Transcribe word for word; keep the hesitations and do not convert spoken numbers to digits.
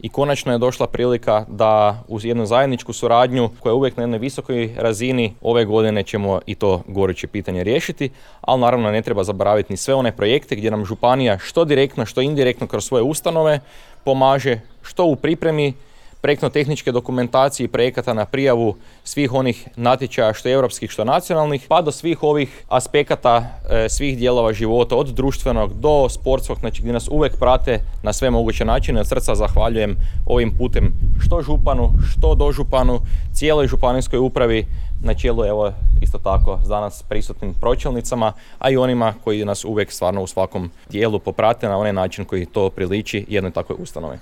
i konačno je došla prilika da uz jednu zajedničku suradnju koja je uvijek na jednoj visokoj razini ove godine ćemo i to goruće pitanje riješiti, ali naravno ne treba zaboraviti ni sve one projekte gdje nam županija što direktno, što indirektno kroz svoje ustanove pomaže, što u pripremi projektno-tehničke dokumentacije i projekata na prijavu svih onih natječaja što europskih, što nacionalnih, pa do svih ovih aspekata e, svih dijelova života, od društvenog do sportskog, znači gdje nas uvijek prate na sve moguće načine. Od srca zahvaljujem ovim putem što županu, što dožupanu, cijeloj županijskoj upravi, na čelu evo isto tako s danas prisutnim pročelnicama, a i onima koji nas uvijek stvarno u svakom dijelu poprate na onaj način koji to priliči jednoj takvoj ustanovi.